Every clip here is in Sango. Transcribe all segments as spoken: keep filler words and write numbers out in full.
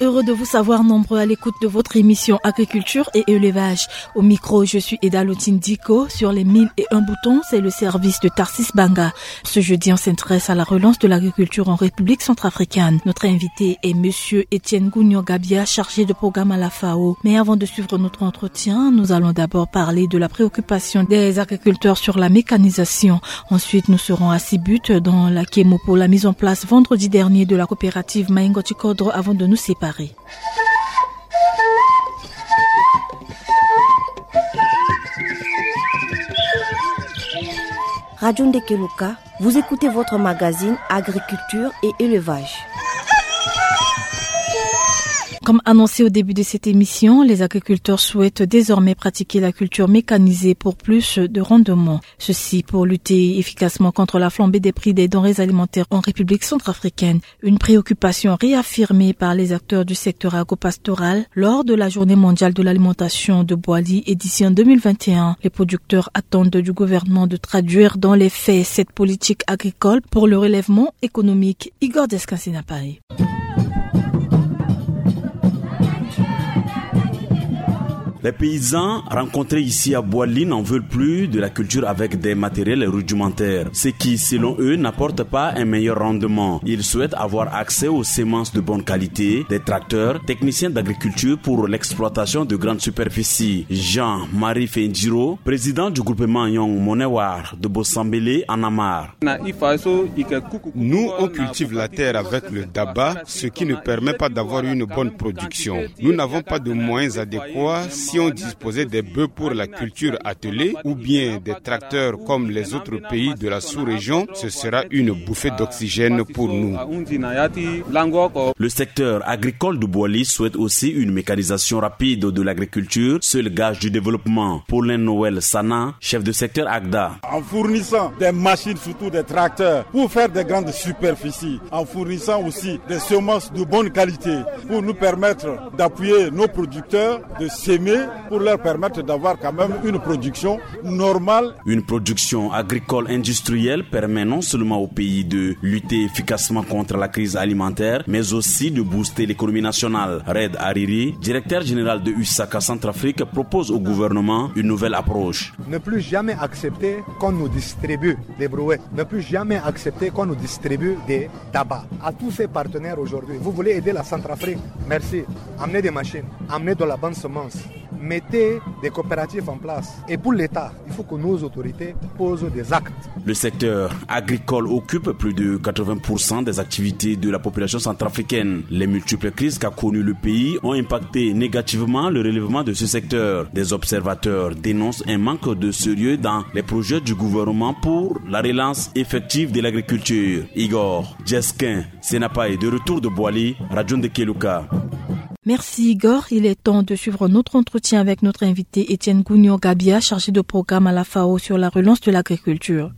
Heureux de vous savoir nombreux à l'écoute de votre émission Agriculture et Élevage. Au micro, je suis Eda Lotine Diko. Sur les mille et un boutons, c'est le service de Tarsis Banga. Ce jeudi, on s'intéresse à la relance de l'agriculture en République centrafricaine. Notre invité est monsieur Étienne Gougnon Gabia, chargé de programme à la FAO. Mais avant de suivre notre entretien, nous allons d'abord parler de la préoccupation des agriculteurs sur la mécanisation. Ensuite, nous serons à Sibut, dans la Kémo, pour la mise en place vendredi dernier de la coopérative Maïngo Tikodro, avant de nous séparer. Radio Ndekeluka, vous écoutez votre magazine Agriculture et Élevage. Comme annoncé au début de cette émission, les agriculteurs souhaitent désormais pratiquer la culture mécanisée pour plus de rendement. Ceci pour lutter efficacement contre la flambée des prix des denrées alimentaires en République centrafricaine. Une préoccupation réaffirmée par les acteurs du secteur agropastoral lors de la Journée mondiale de l'alimentation de Boali, édition deux mille vingt et un. Les producteurs attendent du gouvernement de traduire dans les faits cette politique agricole pour le relèvement économique. Igor Descansi na Paris. Les paysans rencontrés ici à Boali n'en veulent plus de la culture avec des matériels rudimentaires, ce qui, selon eux, n'apporte pas un meilleur rendement. Ils souhaitent avoir accès aux semences de bonne qualité, des tracteurs, techniciens d'agriculture pour l'exploitation de grandes superficies. Jean-Marie Fendiro, président du groupement Young Monewar de Bossambélé en Amar. Nous, on cultive la terre avec le daba, ce qui ne permet pas d'avoir une bonne production. Nous n'avons pas de moyens adéquats. Si on disposait des bœufs pour la culture attelée ou bien des tracteurs comme les autres pays de la sous-région, ce sera une bouffée d'oxygène pour nous. Le secteur agricole de Boali souhaite aussi une mécanisation rapide de l'agriculture, seul gage du développement. Paulin Noël Sana, chef de secteur Agda. En fournissant des machines, surtout des tracteurs, pour faire des grandes superficies, en fournissant aussi des semences de bonne qualité pour nous permettre d'appuyer nos producteurs, de s'aimer, pour leur permettre d'avoir quand même une production normale. Une production agricole industrielle permet non seulement au pays de lutter efficacement contre la crise alimentaire, mais aussi de booster l'économie nationale. Red Hariri, directeur général de U S A C A Centrafrique, propose au gouvernement une nouvelle approche. Ne plus jamais accepter qu'on nous distribue des brouettes. Ne plus jamais accepter qu'on nous distribue des tabacs. À tous ces partenaires aujourd'hui, vous voulez aider la Centrafrique ? Merci. Amenez des machines, amenez de la bonne semence. Mettez des coopératives en place. Et pour l'État, il faut que nos autorités posent des actes. Le secteur agricole occupe plus de quatre-vingts pour cent des activités de la population centrafricaine. Les multiples crises qu'a connues le pays ont impacté négativement le relèvement de ce secteur. Des observateurs dénoncent un manque de sérieux dans les projets du gouvernement pour la relance effective de l'agriculture. Igor Djesquin Senapa est de retour de Boali, Radio Ndekeluka. Merci Igor. Il est temps de suivre notre entretien avec notre invité Étienne Gougnon Gabia, chargé de programme à la FAO sur la relance de l'agriculture.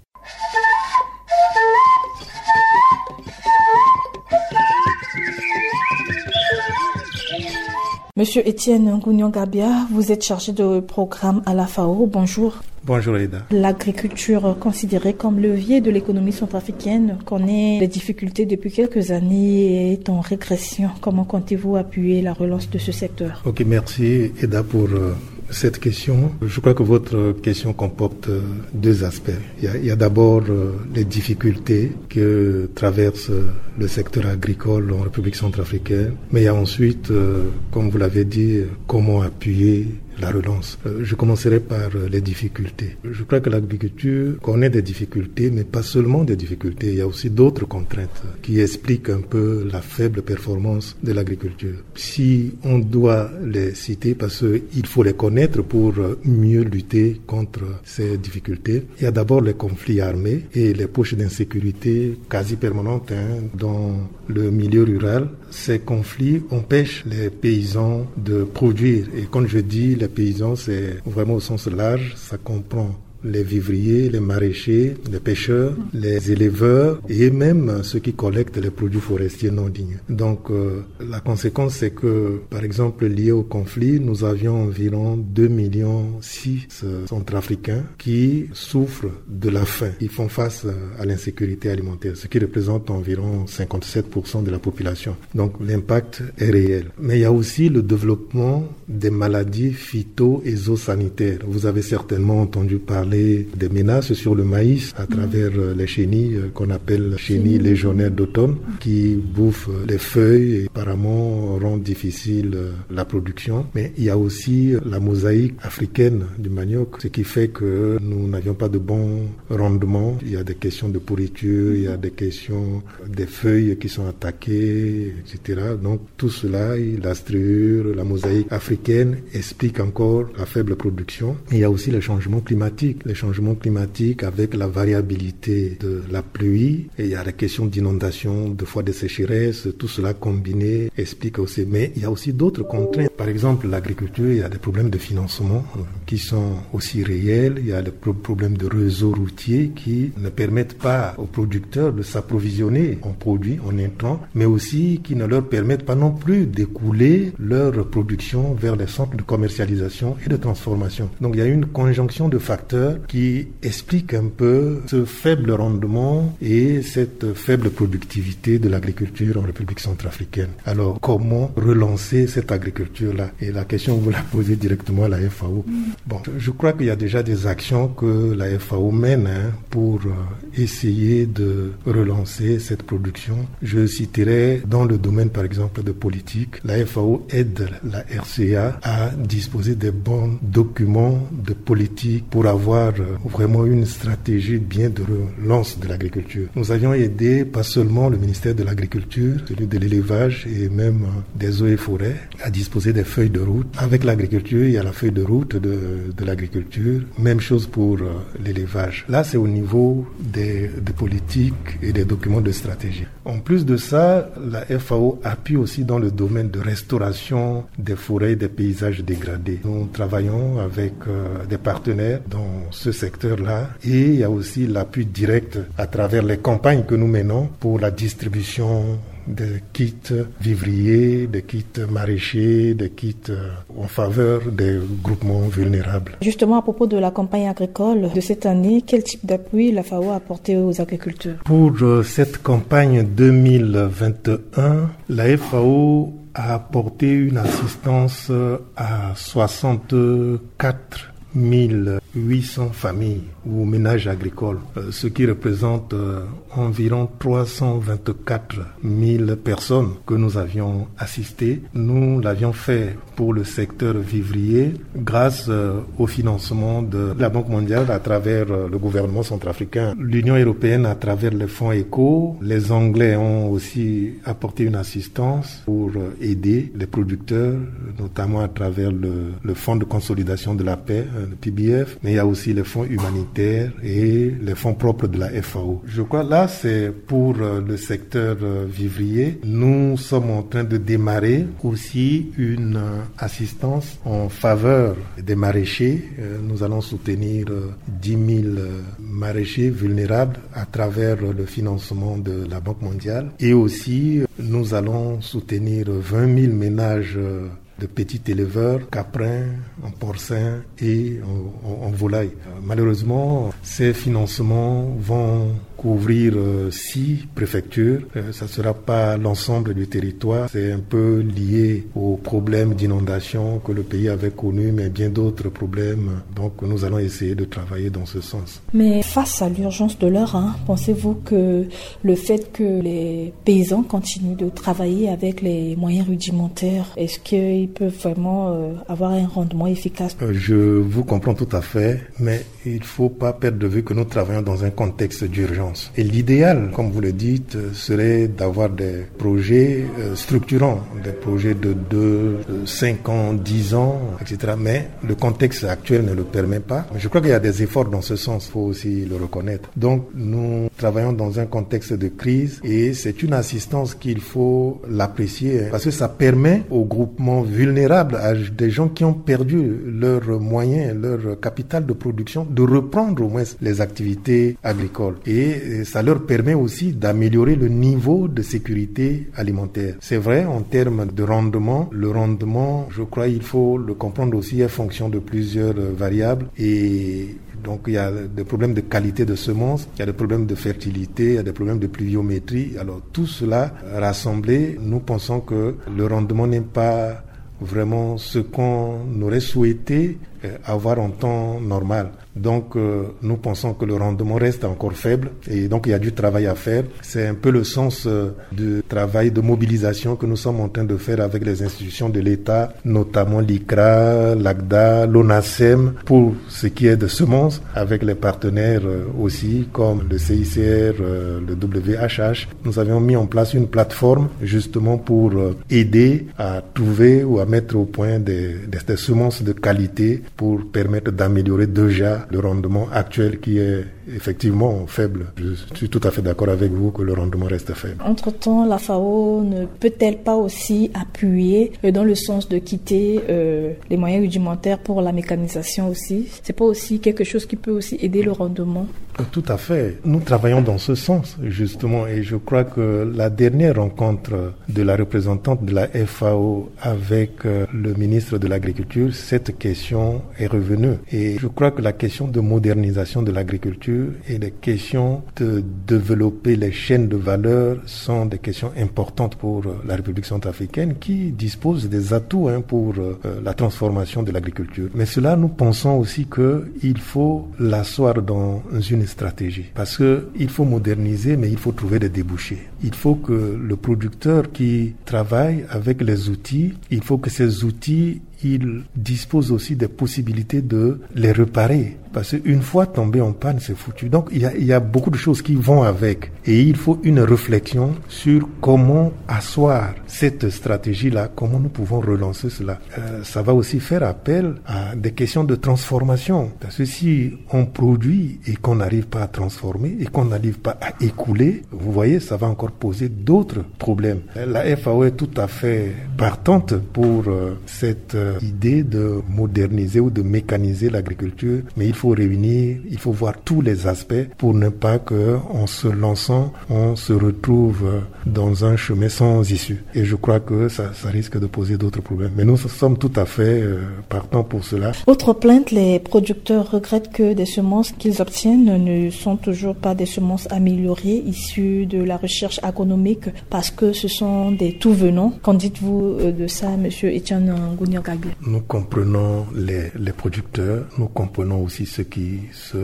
Monsieur Étienne Gougnon Gabia, vous êtes chargé de programme à la FAO. Bonjour. Bonjour Eda. L'agriculture considérée comme levier de l'économie centrafricaine connaît des difficultés depuis quelques années et est en régression. Comment comptez-vous appuyer la relance de ce secteur ? Ok, merci Eda pour euh, cette question. Je crois que votre question comporte euh, deux aspects. Il y a, il y a d'abord euh, les difficultés que traverse euh, le secteur agricole en République centrafricaine, mais il y a ensuite, euh, comme vous l'avez dit, euh, comment appuyer la relance. Euh, je commencerai par euh, les difficultés. Je crois que l'agriculture connaît des difficultés, mais pas seulement des difficultés. Il y a aussi d'autres contraintes qui expliquent un peu la faible performance de l'agriculture. Si on doit les citer, parce qu'il faut les connaître pour euh, mieux lutter contre ces difficultés, il y a d'abord les conflits armés et les poches d'insécurité quasi permanentes hein, dans le milieu rural. Ces conflits empêchent les paysans de produire. Et quand je dis les paysans, c'est vraiment au sens large, ça comprend les vivriers, les maraîchers, les pêcheurs, les éleveurs et même ceux qui collectent les produits forestiers non ligneux. Donc, euh, la conséquence, c'est que, par exemple, lié au conflit, nous avions environ deux millions six centrafricains qui souffrent de la faim. Ils font face, euh, à l'insécurité alimentaire, ce qui représente environ cinquante-sept pour cent de la population. Donc, l'impact est réel. Mais il y a aussi le développement des maladies phyto-et-zoosanitaires. Vous avez certainement entendu parler des menaces sur le maïs à travers, euh, les chenilles, euh, qu'on appelle chenilles légionnaires d'automne, qui bouffent, euh, les feuilles et apparemment rendent difficile, euh, la production. Mais il y a aussi, euh, la mosaïque africaine du manioc, ce qui fait que nous n'avions pas de bons rendements. Il y a des questions de pourriture, il y a des questions des feuilles qui sont attaquées, et cetera. Donc, tout cela, la striure, la mosaïque africaine explique encore la faible production. Il y a aussi les changements climatiques. Les changements climatiques avec la variabilité de la pluie. Et il y a la question d'inondation, de fois de sécheresse. Tout cela combiné explique aussi. Mais il y a aussi d'autres contraintes. Par exemple, l'agriculture, il y a des problèmes de financement, euh, qui sont aussi réels. Il y a des pro-, problèmes de réseau routier qui ne permettent pas aux producteurs de s'approvisionner en produits, en intrants, mais aussi qui ne leur permettent pas non plus d'écouler leur production vers les centres de commercialisation et de transformation. Donc, il y a une conjonction de facteurs qui explique un peu ce faible rendement et cette faible productivité de l'agriculture en République centrafricaine. Alors, comment relancer cette agriculture-là ? Et la question, vous la posez directement à la F A O. Bon, je crois qu'il y a déjà des actions que la F A O mène, hein, pour, euh, essayer de relancer cette production. Je citerai dans le domaine, par exemple, de politique, la F A O aide la R C A à disposer des bons documents de politique pour avoir, euh, vraiment une stratégie bien de relance de l'agriculture. Nous avions aidé pas seulement le ministère de l'Agriculture, celui de l'Élevage et même, euh, des Eaux et Forêts, à disposer des feuilles de route. Avec l'agriculture, il y a la feuille de route de, de l'agriculture. Même chose pour, euh, l'élevage. Là, c'est au niveau des, des politiques et des documents de stratégie. En plus de ça, la F A O appuie aussi dans le domaine de restauration des forêts et des paysages dégradés. Nous travaillons avec, euh, des partenaires dans ce secteur-là et il y a aussi l'appui direct à travers les campagnes que nous menons pour la distribution des kits vivriers, des kits maraîchers, des kits, euh, en faveur des groupements vulnérables. Justement, à propos de la campagne agricole de cette année, quel type d'appui la F A O a apporté aux agriculteurs ? Pour, euh, cette campagne deux mille vingt et un, la F A O a apporté une assistance, euh, à soixante-quatre mille huit cents familles ou ménages agricoles, euh, ce qui représente, euh, environ trois cent vingt-quatre mille personnes que nous avions assistées. Nous l'avions fait pour le secteur vivrier grâce, euh, au financement de la Banque mondiale à travers, euh, le gouvernement centrafricain, l'Union européenne à travers les fonds ECHO. Les Anglais ont aussi apporté une assistance pour, euh, aider les producteurs, notamment à travers le, le Fonds de consolidation de la paix, euh, le P B F, mais il y a aussi les fonds humanitaires et les fonds propres de la F A O. Je crois là, c'est pour, euh, le secteur, euh, vivrier. Nous sommes en train de démarrer aussi une, euh, assistance en faveur des maraîchers. Euh, nous allons soutenir, euh, dix mille, euh, maraîchers vulnérables à travers, euh, le financement de la Banque mondiale. Et aussi, euh, nous allons soutenir vingt mille ménages, euh, de petits éleveurs, caprins, en porcin et en, en, en volaille. Euh, malheureusement, ces financements vont couvrir, euh, six préfectures. Euh, ça sera pas l'ensemble du territoire. C'est un peu lié aux problèmes d'inondation que le pays avait connu, mais bien d'autres problèmes. Donc, nous allons essayer de travailler dans ce sens. Mais face à l'urgence de l'heure, hein, pensez-vous que le fait que les paysans continuent de travailler avec les moyens rudimentaires, est-ce qu'ils peuvent vraiment, euh, avoir un rendement efficace ? Euh, je vous comprends tout à fait, mais il faut pas perdre de vue que nous travaillons dans un contexte d'urgence. Et l'idéal, comme vous le dites, serait d'avoir des projets euh, structurants, des projets de deux, cinq ans, dix ans, et cetera. Mais le contexte actuel ne le permet pas. Je crois qu'il y a des efforts dans ce sens, il faut aussi le reconnaître. Donc, nous travaillons dans un contexte de crise et c'est une assistance qu'il faut l'apprécier, hein, parce que ça permet aux groupements vulnérables, à des gens qui ont perdu leurs moyens, leur capital de production, de reprendre au moins les activités agricoles. Et ça leur permet aussi d'améliorer le niveau de sécurité alimentaire. C'est vrai, en termes de rendement, le rendement, je crois, il faut le comprendre aussi en fonction de plusieurs variables. Et donc, il y a des problèmes de qualité de semences, il y a des problèmes de fertilité, il y a des problèmes de pluviométrie. Alors, tout cela rassemblé, nous pensons que le rendement n'est pas vraiment ce qu'on aurait souhaité euh, avoir en temps normal. Donc, euh, nous pensons que le rendement reste encore faible et donc il y a du travail à faire. C'est un peu le sens euh, du travail de mobilisation que nous sommes en train de faire avec les institutions de l'État, notamment l'ICRA, l'ACDA, l'ONASEM, pour ce qui est de semences, avec les partenaires euh, aussi, comme le C I C R, euh, le W H H. Nous avions mis en place une plateforme justement pour euh, aider à trouver ou à mettre au point des, des, des semences de qualité pour permettre d'améliorer déjà le rendement actuel qui est effectivement faible. Je suis tout à fait d'accord avec vous que le rendement reste faible. Entre-temps, la FAO ne peut-elle pas aussi appuyer euh, dans le sens de quitter euh, les moyens rudimentaires pour la mécanisation aussi ? C'est pas aussi quelque chose qui peut aussi aider le rendement ? Tout à fait. Nous travaillons dans ce sens, justement, et je crois que la dernière rencontre de la représentante de la FAO avec euh, le ministre de l'Agriculture, cette question est revenue. Et je crois que la question de modernisation de l'agriculture et les questions de développer les chaînes de valeur sont des questions importantes pour euh, la République centrafricaine qui dispose des atouts hein, pour euh, la transformation de l'agriculture. Mais cela, nous pensons aussi qu'il faut l'asseoir dans une stratégie. Parce qu'il faut moderniser, mais il faut trouver des débouchés. Il faut que le producteur qui travaille avec les outils, il faut que ces outils il dispose aussi des possibilités de les réparer. Parce qu'une fois tombé en panne, c'est foutu. Donc, il y, a, il y a beaucoup de choses qui vont avec. Et il faut une réflexion sur comment asseoir cette stratégie-là, comment nous pouvons relancer cela. Euh, ça va aussi faire appel à des questions de transformation. Parce que si on produit et qu'on n'arrive pas à transformer et qu'on n'arrive pas à écouler, vous voyez, ça va encore poser d'autres problèmes. La FAO est tout à fait partante pour euh, cette euh, idée de moderniser ou de mécaniser l'agriculture, mais il faut réunir, il faut voir tous les aspects pour ne pas que, en se lançant, on se retrouve euh, dans un chemin sans issue. Et je crois que ça, ça risque de poser d'autres problèmes. Mais nous sommes tout à fait euh, partants pour cela. Autre plainte, les producteurs regrettent que des semences qu'ils obtiennent ne sont toujours pas des semences améliorées issues de la recherche agronomique parce que ce sont des tout-venants. Qu'en dites-vous euh, de ça, monsieur Etienne Ngounia Gagbia ? Nous comprenons les, les producteurs, nous comprenons aussi ceux qui se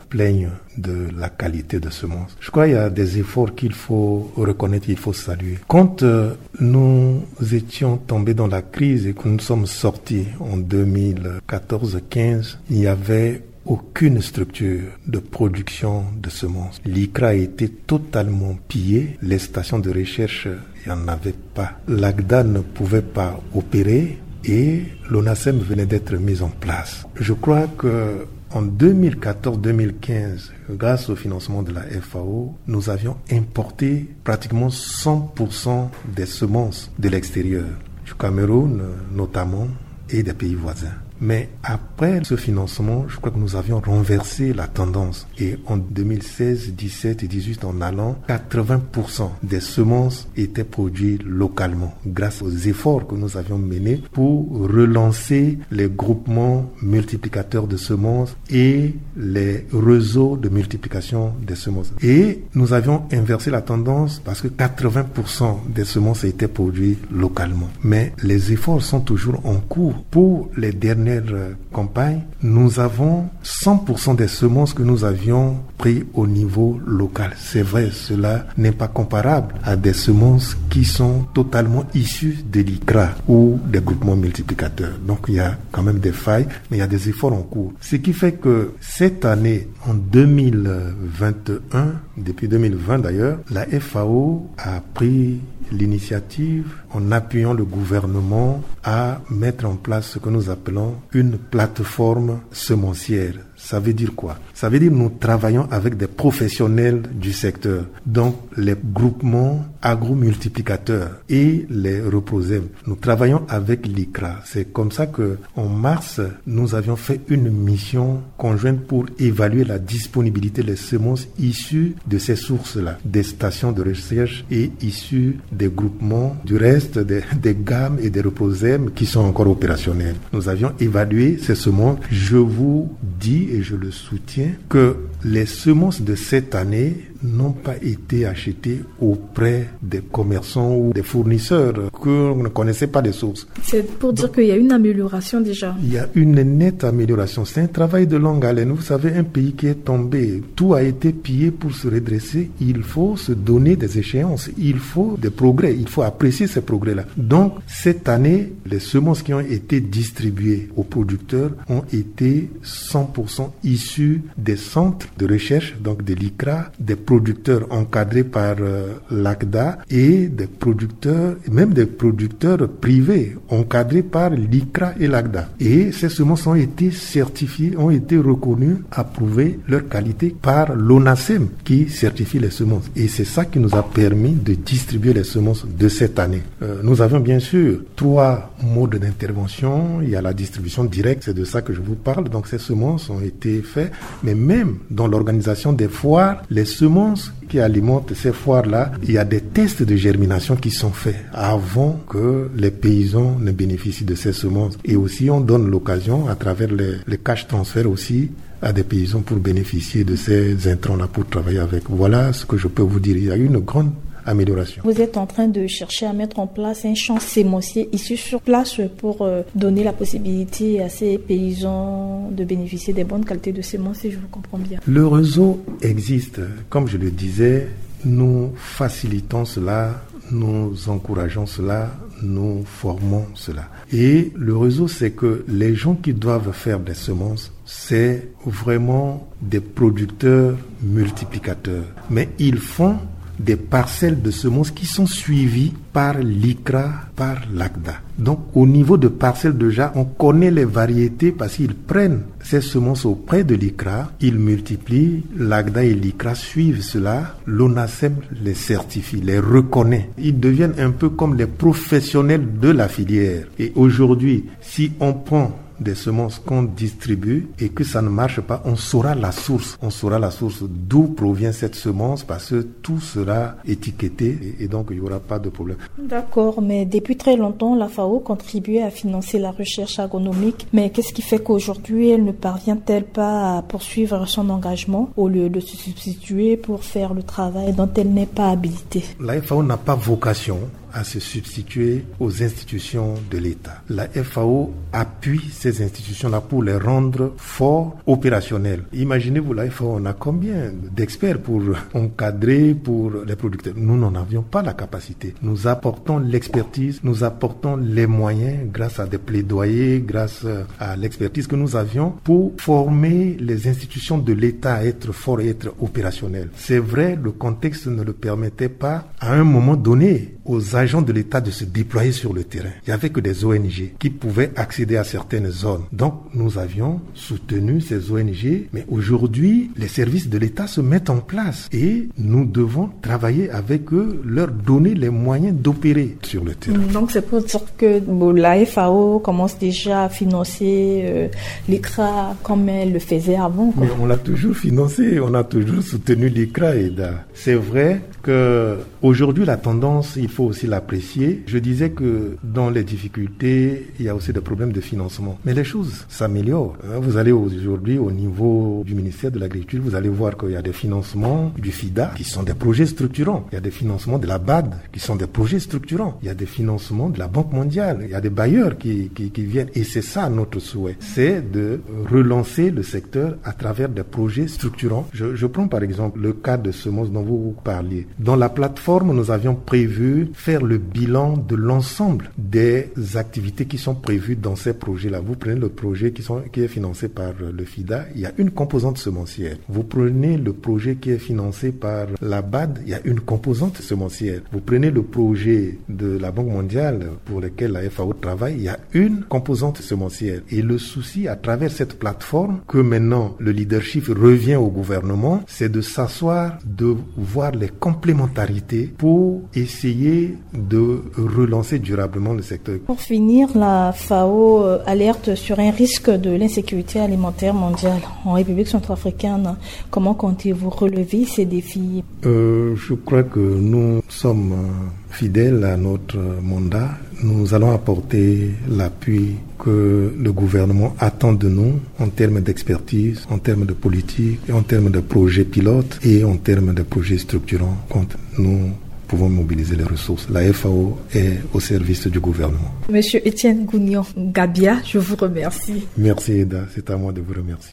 plaignent de la qualité de semences. Je crois qu'il y a des efforts qu'il faut reconnaître, qu'il faut saluer. Quand euh, nous étions tombés dans la crise et que nous sommes sortis en deux mille quatorze quinze, il n'y avait aucune structure de production de semences. L'ICRA a été totalement pillé. Les stations de recherche, il n'y en avait pas. L'ACDA ne pouvait pas opérer et l'ONASEM venait d'être mise en place. Je crois que en deux mille quatorze deux mille quinze, grâce au financement de la FAO, nous avions importé pratiquement cent pour cent des semences de l'extérieur, du Cameroun notamment et des pays voisins. Mais après ce financement, je crois que nous avions renversé la tendance. Et en deux mille seize, dix-sept et dix-huit, en allant, quatre-vingts pour cent des semences étaient produites localement grâce aux efforts que nous avions menés pour relancer les groupements multiplicateurs de semences et les réseaux de multiplication des semences. Et nous avions inversé la tendance parce que quatre-vingts pour cent des semences étaient produites localement. Mais les efforts sont toujours en cours pour les dernières euh, campagne, nous avons cent pour cent des semences que nous avions pris au niveau local. C'est vrai, cela n'est pas comparable à des semences qui sont totalement issues de l'ICRA ou des groupements multiplicateurs. Donc il y a quand même des failles, mais il y a des efforts en cours. Ce qui fait que cette année, en deux mille vingt et un, depuis deux mille vingt d'ailleurs, la F A O a pris l'initiative, en appuyant le gouvernement, à mettre en place ce que nous appelons une plateforme semencière. Ça veut dire quoi ? Ça veut dire nous travaillons avec des professionnels du secteur, donc les groupements agro-multiplicateurs et les REPROSEM. Nous travaillons avec l'ICRA. C'est comme ça que, en mars, nous avions fait une mission conjointe pour évaluer la disponibilité des semences issues de ces sources-là, des stations de recherche et issues des groupements, du reste des, des GAM et des REPROSEM qui sont encore opérationnels. Nous avions évalué ces semences. Je vous dis, et je le soutiens, que les semences de cette année n'ont pas été achetées auprès des commerçants ou des fournisseurs que on ne connaissait pas les sources. C'est pour dire qu'il y a une amélioration déjà. Il y a une nette amélioration. C'est un travail de longue haleine. Vous savez, un pays qui est tombé, tout a été pillé pour se redresser. Il faut se donner des échéances. Il faut des progrès. Il faut apprécier ces progrès-là. Donc, cette année, les semences qui ont été distribuées aux producteurs ont été cent pour cent issues des centres de recherche, donc de l'ICRA, des producteurs encadrés par, euh, l'ACDA et des producteurs, même des producteurs privés encadrés par l'ICRA et l'ACDA. Et ces semences ont été certifiées, ont été reconnues, approuvées, leur qualité par l'ONACEM qui certifie les semences. Et c'est ça qui nous a permis de distribuer les semences de cette année. Euh, nous avions bien sûr trois modes d'intervention. Il y a la distribution directe, c'est de ça que je vous parle. Donc ces semences ont été faites, mais même dans l'organisation des foires, les semences qui alimentent ces foires-là, il y a des tests de germination qui sont faits avant que les paysans ne bénéficient de ces semences. Et aussi, on donne l'occasion, à travers les, les cash transferts aussi, à des paysans pour bénéficier de ces intrants-là pour travailler avec. Voilà ce que je peux vous dire. Il y a eu une grande amélioration. Vous êtes en train de chercher à mettre en place un champ semencier ici sur place pour, euh, donner la possibilité à ces paysans de bénéficier des bonnes qualités de semences, si je vous comprends bien. Le réseau existe. Comme je le disais, nous facilitons cela, nous encourageons cela, nous formons cela. Et le réseau, c'est que les gens qui doivent faire des semences, c'est vraiment des producteurs multiplicateurs. Mais ils font des parcelles de semences qui sont suivies par l'ICRA, par l'ACDA. Donc, au niveau de parcelles déjà, on connaît les variétés parce qu'ils prennent ces semences auprès de l'ICRA, ils multiplient, l'ACDA et l'ICRA suivent cela, l'ONACEM les certifie, les reconnaît. Ils deviennent un peu comme les professionnels de la filière. Et aujourd'hui, si on prend des semences qu'on distribue et que ça ne marche pas, on saura la source. On saura la source d'où provient cette semence parce que tout sera étiqueté et, et donc il n'y aura pas de problème. D'accord, mais depuis très longtemps, la F A O contribuait à financer la recherche agronomique. Mais qu'est-ce qui fait qu'aujourd'hui, elle ne parvient-elle pas à poursuivre son engagement au lieu de se substituer pour faire le travail dont elle n'est pas habilitée ? La F A O n'a pas vocation à se substituer aux institutions de l'État. La F A O appuie ces institutions-là pour les rendre fort opérationnelles. Imaginez-vous, la F A O, on a combien d'experts pour encadrer, pour les producteurs ? Nous n'en avions pas la capacité. Nous apportons l'expertise, nous apportons les moyens grâce à des plaidoyers, grâce à l'expertise que nous avions pour former les institutions de l'État à être fortes et être opérationnelles. C'est vrai, le contexte ne le permettait pas à un moment donné aux agents de l'État de se déployer sur le terrain. Il n'y avait que des O N G qui pouvaient accéder à certaines zones. Donc, nous avions soutenu ces O N G, mais aujourd'hui, les services de l'État se mettent en place et nous devons travailler avec eux, leur donner les moyens d'opérer sur le terrain. Donc, c'est pour dire que, bon, la F A O commence déjà à financer, euh, l'ICRA comme elle le faisait avant, quoi. Mais on l'a toujours financé, on a toujours soutenu l'ICRA et da-, c'est vrai que aujourd'hui, la tendance, il Il faut aussi l'apprécier. Je disais que dans les difficultés, il y a aussi des problèmes de financement. Mais les choses s'améliorent. Hein, vous allez aujourd'hui au niveau du ministère de l'Agriculture, vous allez voir qu'il y a des financements du FIDA qui sont des projets structurants. Il y a des financements de la BAD qui sont des projets structurants. Il y a des financements de la Banque mondiale. Il y a des bailleurs qui, qui, qui viennent. Et c'est ça notre souhait. C'est de relancer le secteur à travers des projets structurants. Je, je prends par exemple le cas de semences dont vous parliez. Dans la plateforme, nous avions prévu faire le bilan de l'ensemble des activités qui sont prévues dans ces projets-là. Vous prenez le projet qui, sont, qui est financé par le FIDA, il y a une composante semencière. Vous prenez le projet qui est financé par la BAD, il y a une composante semencière. Vous prenez le projet de la Banque mondiale pour lequel la FAO travaille, il y a une composante semencière. Et le souci à travers cette plateforme, que maintenant le leadership revient au gouvernement, c'est de s'asseoir, de voir les complémentarités pour essayer de relancer durablement le secteur. Pour finir, la FAO, euh, alerte sur un risque de l'insécurité alimentaire mondiale en République centrafricaine. Comment comptez-vous relever ces défis ? Euh, je crois que nous sommes, euh, fidèles à notre mandat. Nous allons apporter l'appui que le gouvernement attend de nous en termes d'expertise, en termes de politique, et en termes de projets pilotes et en termes de projets structurants quand nous pouvons mobiliser les ressources. La FAO est au service du gouvernement. Monsieur Étienne Gounion Gabia, je vous remercie. Merci Eda, c'est à moi de vous remercier.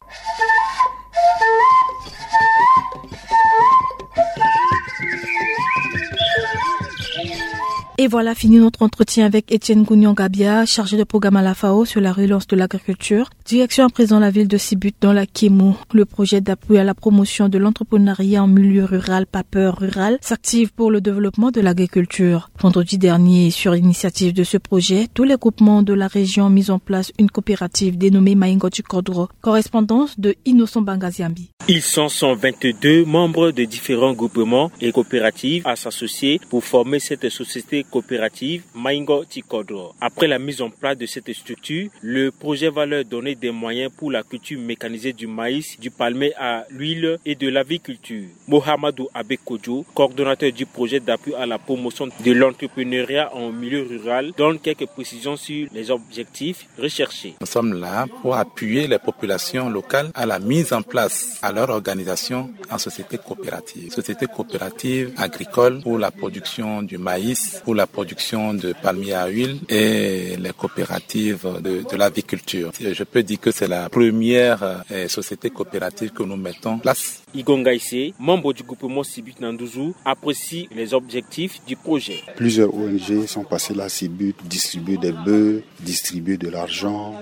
Et voilà fini notre entretien avec Étienne Gounion Gabia, chargé de programme à la FAO sur la relance de l'agriculture. Direction à présent la ville de Sibut dans la Kémo. Le projet d'appui à la promotion de l'entrepreneuriat en milieu rural, PAPER rural, s'active pour le développement de l'agriculture. Vendredi dernier, sur l'initiative de ce projet, tous les groupements de la région ont mis en place une coopérative dénommée Maingo Tikodro. Correspondance de Innocent Bangaziambi. Ils sont cent vingt-deux membres de différents groupements et coopératives à s'associer pour former cette société coopérative Maingo Tikodro. Après la mise en place de cette structure, le projet va leur donner des moyens pour la culture mécanisée du maïs, du palmier à l'huile et de l'aviculture. Mohamedou Abekodjo, coordonnateur du projet d'appui à la promotion de l'entrepreneuriat en milieu rural, donne quelques précisions sur les objectifs recherchés. Nous sommes là pour appuyer les populations locales à la mise en place à leur organisation en société coopérative. Société coopérative agricole pour la production du maïs, pour la production de palmier à huile et les coopératives de, de l'aviculture. Je peux dire que c'est la première, euh, société coopérative que nous mettons en place. Igonga Issé, membre du groupement Sibut na Nduzu, apprécie les objectifs du projet. Plusieurs O N G sont passées là, Sibut, distribuer des bœufs, distribuer de l'argent.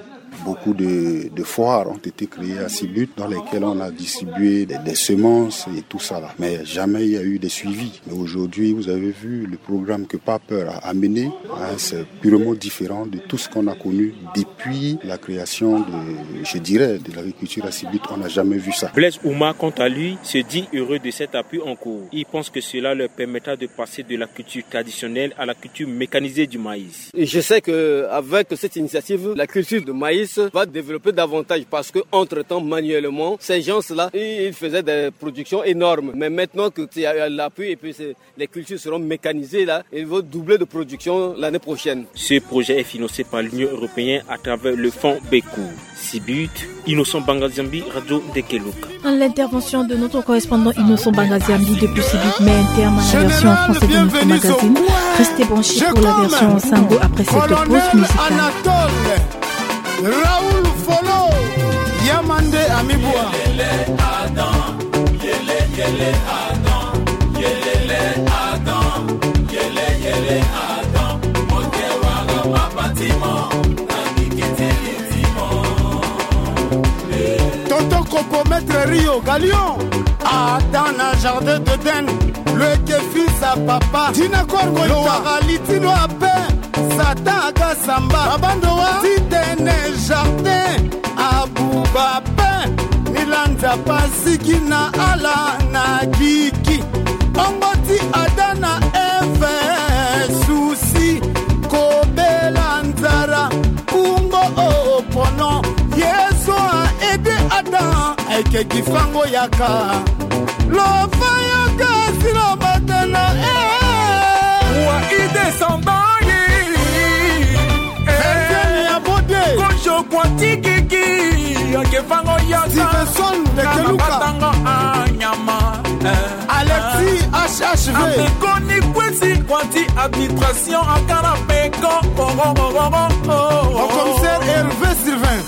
Beaucoup de, de foires ont été créées à Sibut dans lesquelles on a distribué des, des semences et tout ça là. Mais jamais il y a eu de suivi. Mais aujourd'hui, vous avez vu le programme que PAPER a amené, hein, c'est purement différent de tout ce qu'on a connu depuis la création de, je dirais, de l'agriculture à Sibut. On n'a jamais vu ça. Blaise Ouma, quant à lui, se dit heureux de cet appui en cours. Il pense que cela leur permettra de passer de la culture traditionnelle à la culture mécanisée du maïs. Et je sais que avec cette initiative, la culture de maïs va développer davantage parce que, entre-temps, manuellement, ces gens-là, ils, ils faisaient des productions énormes. Mais maintenant que il y a l'appui et puis c'est, les cultures seront mécanisées là, ils vont doubler de production l'année prochaine. Ce projet est financé par l'Union européenne à travers le fonds Beku. Sibut, Innocent Bangaziambi, Radio Ndekeluka. L'intervention de notre correspondant Innocent Bangaziambi depuis Sibut met un terme à la version en français de notre magazine. Restez branchés pour la version en sango après cette pause musicale. Raoul Folo, Yamande Amibua. Tonton Coco, Maître Rio, Galion. Adam na jardin d'Eden, lo yeke fils à papa. Dina Corgo, lo wara li ti lo ape. Satan aga samba. Babando wa ti tene jardin. Abuba pe. Ni la Nzapa asigi na ala na gigi. Ongo ti Adam na Eve, souci, kobela nzara, kungo o pono. Yezu a aidé Adam, ayeke gi fango yaka. Lo fa yaka si lo bata na e. Wa ida Sandayi. Etienne ya Bode. Kojo kwa tikiki. Ake fango yaka. Stevenson Lekeluka. Batango anyama. Alexis H H V. Amekoni kwesi kwa ti administration akana peko. Au commissaire Hervé Sylvain.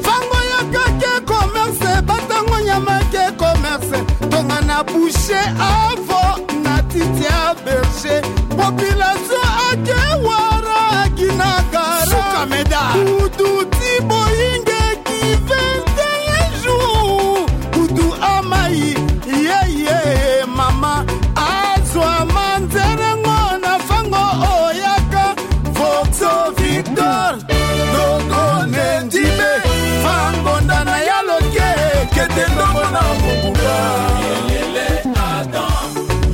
Fango yaka ke commerce, batango nyama ke commerce. Tongana boucher avo na titi a berger. Population ake wara ginagara. Suka meda. Kudu ti boyinge ki vingt et un jours. Kudu amai, ye, ye, mama. Azwa manzerengo na fango oyaka. Voxo Victor. Dogo ne ndibe. Fango ndana ya loke. Kete ndongo na mobuka. Yele, yele, Adam.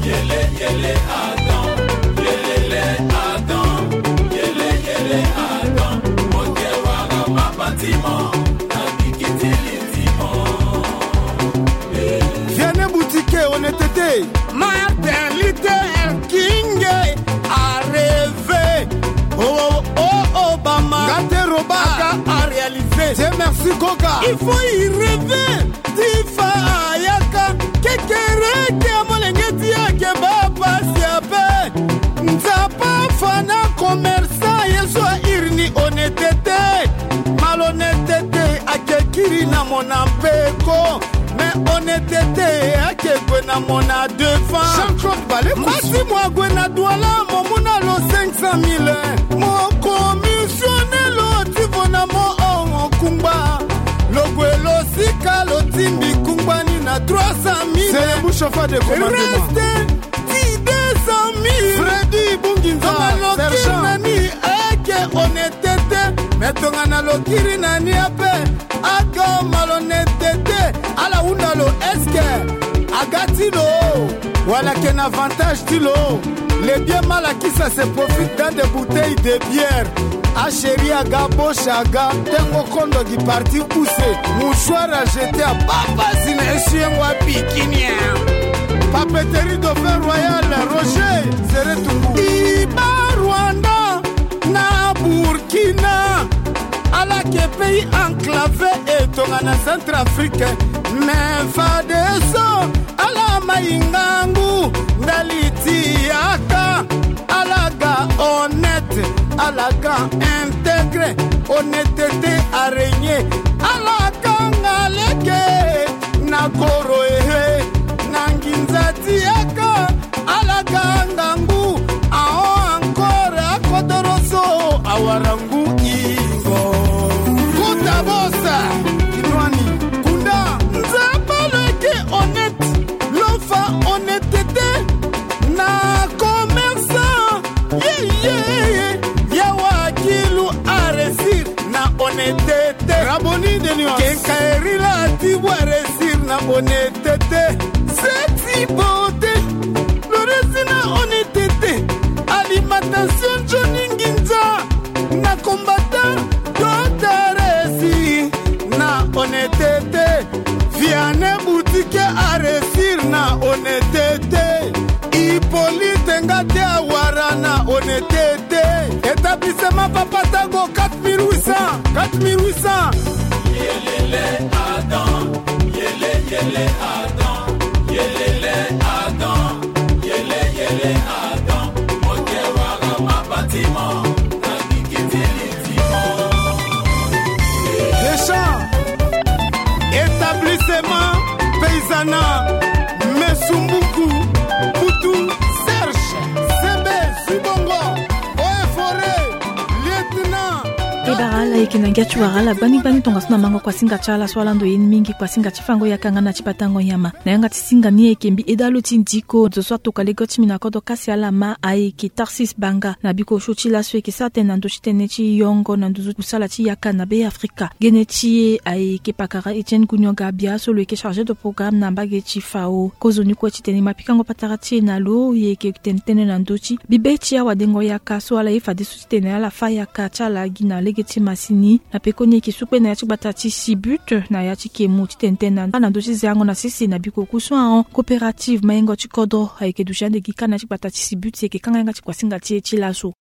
Yele, yele, Adam. Yelele, Adam. Yele, yele, Adam. Moke wara mabatima. Na bikitili. Vianney Boutique, honnêteté. Martin Luther King a rêvé. Oh, oh, oh, Obama. Gate Roba. Aga a réalisé. Dieu merci, Coca. Il faut y rêver. Tifa ayaka. Kekere ke molenge ti ake bapasi ape. Nzapa fana commerçant ye so a iri ni honnêteté. Malhonnêteté ake kiri na mona mpeko. Mais honnêteté ake gue na mona devant. Jean-Claude Baleko. Mbasi mo ague na Douala mo mu na lo cinq cent mille. Mo commissionné lo ti vo na mo hongo kungba. Lo gue lo sika lo timbi kungba ni na trois cent mille. C'est le bouche au feu de commandement. Reste ti deux cent mille. Freddy Bunginza, sergent. Tongana lo kiri na ni ake honnêteté. Mais tongana lo kiri na ni ape ake malhonnêteté. Ala hunda lo est-ce que aga ti lo wala ake na avantage ti lo. Les biens mal acquis, ça se profite dans des bouteilles de bière. A chéri aga, boche aga, tengo kondo gi parti use. Mouchoir à jeter à baba zina essuie-moi bikini. Papeterie Dauphin Royal, Roger Zeretungu. Iba Rwanda na Burkina. Ala ke pays enclavé e tongana Centrafrique. Mais fadeso. Ala mai ngangu ndali ti yaka. Ala ga honnête, ala ga intégré. Honnêteté a régné. Ala kanga lege na koro ehe. Na nginza ti yaka. Ala ga ngangu. Ahon encore akodoro so awara ngu ingo. Kota bosa. Kinwani. Kunda. Nzapa lo yeke honnête. Lo fa honnêteté na commerçant. Ye, ye, ye. Yawa kilu a réussir na honnêteté. Raboni de nuance. Kenkaeri la ti wa réussir na honnêteté. Seti bote. Lo réussir na honnêteté. Alimentation Johnny Nginza. Na combattant, Docteur Esi, na honnêteté. Vianney Boutique a réussir na honnêteté. Hippolyte Ngate Awara na honnêteté. Établissement Papa Tango, quatre mille huit cents, quatre mille huit cents. Yelele Adam, yele, yele Adam, yelele Adam. Yele, yele, Adam, moke wara mabatima, na bikitili timo. Deschamps, établissement paysanat, Mesumbuku, Kutu, Serge, Sebe, Sibongo, Eaux et Forêts, lieutenant. E bara ala yeke na ngia ti wara ala gbani gbani tongaso na mango kuasinga ti ala so ala ndo ye ni mingi kuasinga ti fango yaka nga na ti batango nyama. Na yanga ti singa ni ayeke mbi eda lo ti ndiko zo so atoka lege ti mbi na kodro kasi ala ma ayeke Tarsis Banga na biko osio ti laso ayeke sara tënë na ndö ti tënë ti yongo na nduzu kusala ti yaka na Be Afrika. Gene ti e ayeke pakara Etienne Gunyoga Bia so lo yeke chargé de programme na mbage ti fao. Kozoni kue titene e ma pikango patara ti e na lo e yeke tene tënë na ndö ti bibe ti awadengo yaka so ala ye fadeso titene ala fâ yaka ti ala gi na lege ti masini na pekoni ayeke sukpe na ya ti gbata ti Sibut na ya ti kemu titene tene na ndö ti zeango na sese na biko ku so ahon coopérative mayengo ti kodro ayeke duti ande gi kâ na ya ti gbata ti Sibut si ayeke kanga yanga ti kuasinga ti e ti laso.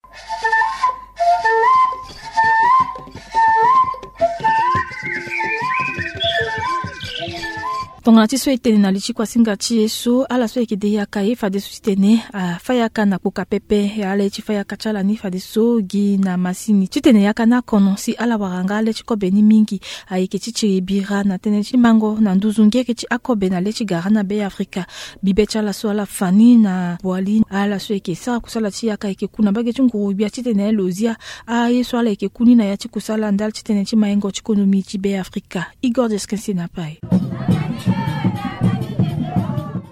Tongana ti so e tene na li ti kuasinga ti e so ala so ayeke de yaka ye fadeso titene afa yaka na kpoka pepe. Ala ye ti fa yaka ti ala ni fadeso gi na masini titene yaka ni akono si ala wara nga le ti kobe ni mingi. Ayeke ti tiri bira na tënë ti mango na nduzu ngere ti akobe na le ti gara na Be Afrika. Bibe ti ala so ala fa ni na Boali ala so ayeke sara kusala ti yaka ayeke ku na mbage ti nguru-gbia titene lo zia aye so ala yeke ku ni na ya ti kusala ndali ti tënë ti mayengo ti konomi ti Be Afrika. Igor Deskensi na pai.